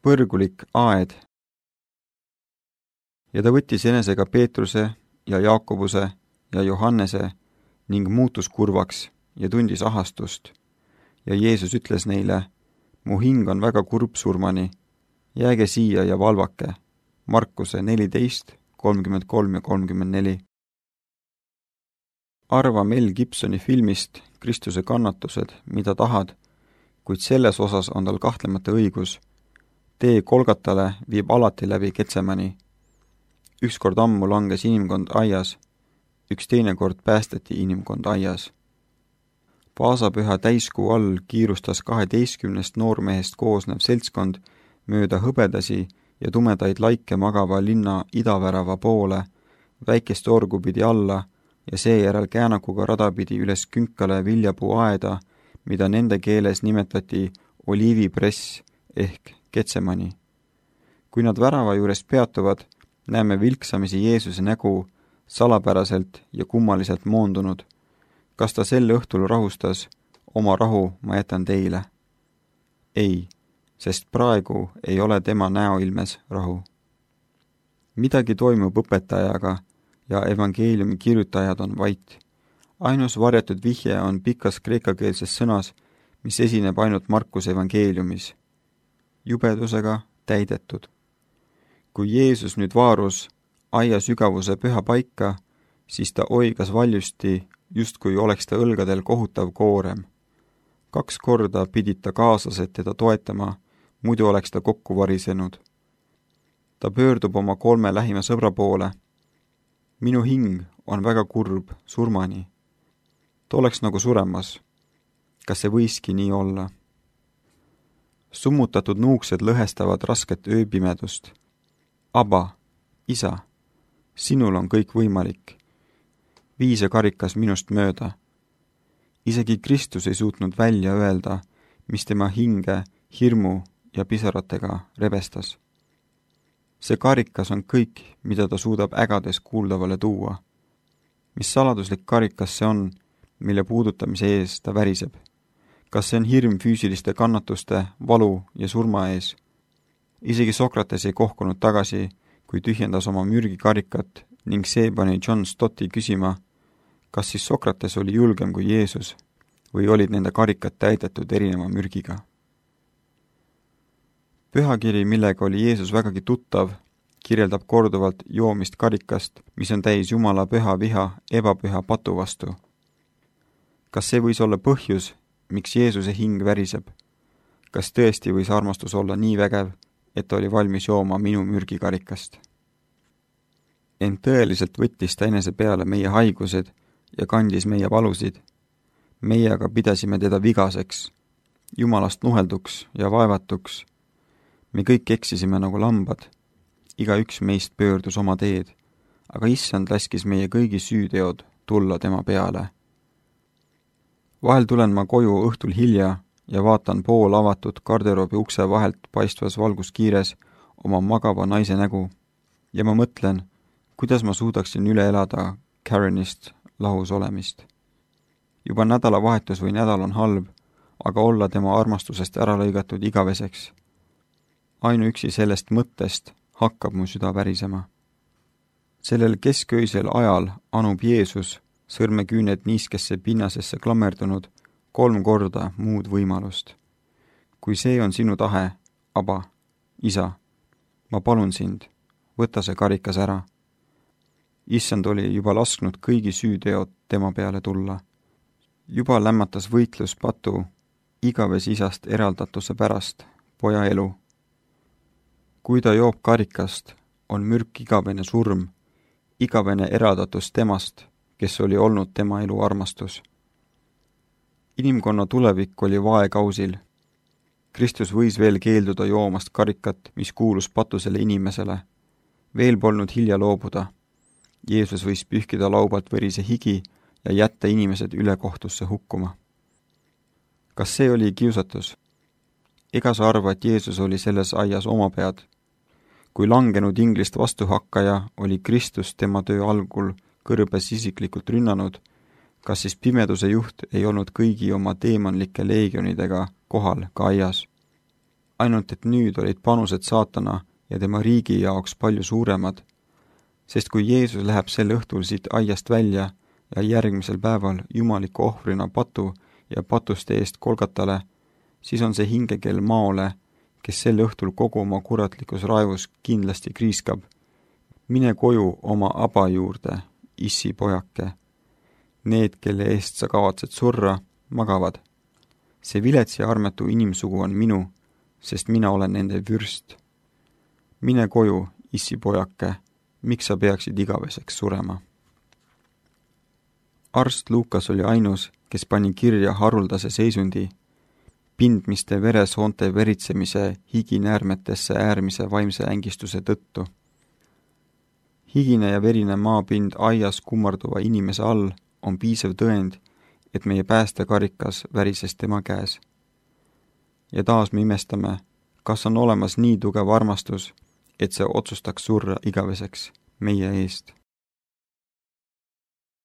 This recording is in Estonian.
põrgulik aed. Ja ta võttis enesega Peetruse ja Jaakobuse ja Johannese ning muutus kurvaks ja tundis ahastust. Ja Jeesus ütles neile, mu hing on väga kurb surmani, jääge siia ja valvake. Markuse 14, 33 ja 34. Arva Mel Gibsoni filmist Kristuse kannatused, mida tahad, kuid selles osas on tal kahtlemata õigus. Tee Kolgatale viib alati läbi Getsemani. Ükskord ammu langes inimkond aias, üks teine kord päästeti inimkond aias. Paasapüha täiskuu all kiirustas 12 noormehest koosnev seltskond mööda hõbedasi ja tumedaid laike magava linna idavärava poole, väikest orgu pidi alla ja seejärel käänakuga rada pidi üles künkale viljapuu aeda, mida nende keeles nimetati oliivipress ehk Getsemani. Kui nad värava juures peatuvad, näeme vilksamisi Jeesuse nägu salapäraselt ja kummaliselt moondunud. Kas ta sel õhtul rahustas, oma rahu ma jätan teile? Ei, sest praegu ei ole tema näoilmes rahu. Midagi toimub õpetajaga ja evangeeliumi kirjutajad on vait. Ainus varjatud vihje on pikas kreekakeelses sõnas, mis esineb ainult Markuse evangeeliumis. Jubedusega täidetud. Kui Jeesus nüüd vaarus aia sügavuse püha paika, siis ta oigas valjusti, justkui oleks ta õlgadel kohutav koorem. 2 korda pidid ta kaaslased teda toetama, muidu oleks ta kokku varisenud. Ta pöördub oma 3 lähima sõbra poole. Minu hing on väga kurb surmani. Ta oleks nagu suremas. Kas see võiski nii olla? Summutatud nuuksed lõhestavad rasket ööpimedust. Aba, isa, sinul on kõik võimalik. Vii see karikas minust mööda. Isegi Kristus ei suutnud välja öelda, mis tema hinge hirmu ja pisaratega rebestas. See karikas on kõik, mida ta suudab ägades kuuldavale tuua. Mis saladuslik karikas see on, mille puudutamise ees ta väriseb? Kas see on hirm füüsiliste kannatuste, valu ja surma ees? Isegi Sokrates ei kohkunud tagasi, kui tühjendas oma mürgikarikat ning see pani John Stotti küsima, kas siis Sokrates oli julgem kui Jeesus või olid nende karikad täidetud erineva mürgiga. Pühakiri, millega oli Jeesus vägagi tuttav, kirjeldab korduvalt joomist karikast, mis on täis Jumala püha viha ebapüha patu vastu. Kas see võis olla põhjus, miks Jeesuse hing väriseb? Kas tõesti võis armastus olla nii vägev, et ta oli valmis jooma minu mürgikarikast? Ent tõeliselt võttis ta enese peale meie haigused ja kandis meie valusid. Meie aga pidasime teda vigaseks, Jumalast nuhelduks ja vaevatuks. Me kõik eksisime nagu lambad. Igaüks meist pöördus oma teed, aga Issand laskis meie kõigi süüteod tulla tema peale. Vahel tulen ma koju õhtul hilja ja vaatan pool avatud garderoobi ukse vahelt paistvas valguskiires oma magava naise nägu ja ma mõtlen, kuidas ma suudaksin üle elada Karenist lahus olemist. Juba nädalavahetus või nädal on halb, aga olla tema armastusest ära lõigatud igaveseks. Ainuüksi sellest mõttest hakkab mu süda värisema. Sellel kesköisel ajal anub Jeesus, sõrmeküüned niiskesse pinnasesse klammerdunud, 3 korda muud võimalust. Kui see on sinu tahe, Aba, isa, ma palun sind, võta see karikas ära. Issand oli juba lasknud kõigi süüteod tema peale tulla. Juba lämmatas võitlus patu igavese isast eraldatuse pärast poja elu. Kui ta joob karikast, on mürk igavene surm, igavene eraldatus temast, kes oli olnud tema elu armastus. Inimkonna tulevik oli vaekausil. Kristus võis veel keelduda joomast karikat, mis kuulus patusele inimesele. Veel polnud hilja loobuda. Jeesus võis pühkida laubalt verise higi ja jätta inimesed ülekohtusse hukkuma. Kas see oli kiusatus? Ega sa arva, et Jeesus oli selles aias oma pead? Kui langenud inglist vastuhakkaja oli Kristus tema töö algul kõrbes isiklikult rünnanud, kas siis pimeduse juht ei olnud kõigi oma teemanlike leegionidega kohal ka aias? ainult et nüüd olid panused saatana ja tema riigi jaoks palju suuremad, sest kui Jeesus läheb sel õhtul siit aiast välja ja järgmisel päeval jumaliku ohvrina patu ja patuste eest Kolgatale, siis on see hingekell maole, kes sel õhtul kogu oma kuratlikus raevus kindlasti kriiskab. Mine koju oma aba juurde, issi pojake. Need, kelle eest sa kavatsed surra, magavad. See vilets ja armetu inimsugu on minu, sest mina olen nende vürst. Mine koju, issi pojake, miks sa peaksid igaveseks surema? Arst Luukas oli ainus, kes pani kirja haruldase seisundi, pindmiste veresoonte veritsemise higinäärmetesse äärmise vaimse ängistuse tõttu. Higine ja verine maapind aias kummarduva inimese all on piisav tõend, et meie päästekarikas värises tema käes. Ja taas me imestame, kas on olemas nii tugev armastus, et see otsustaks surra igaveseks meie eest.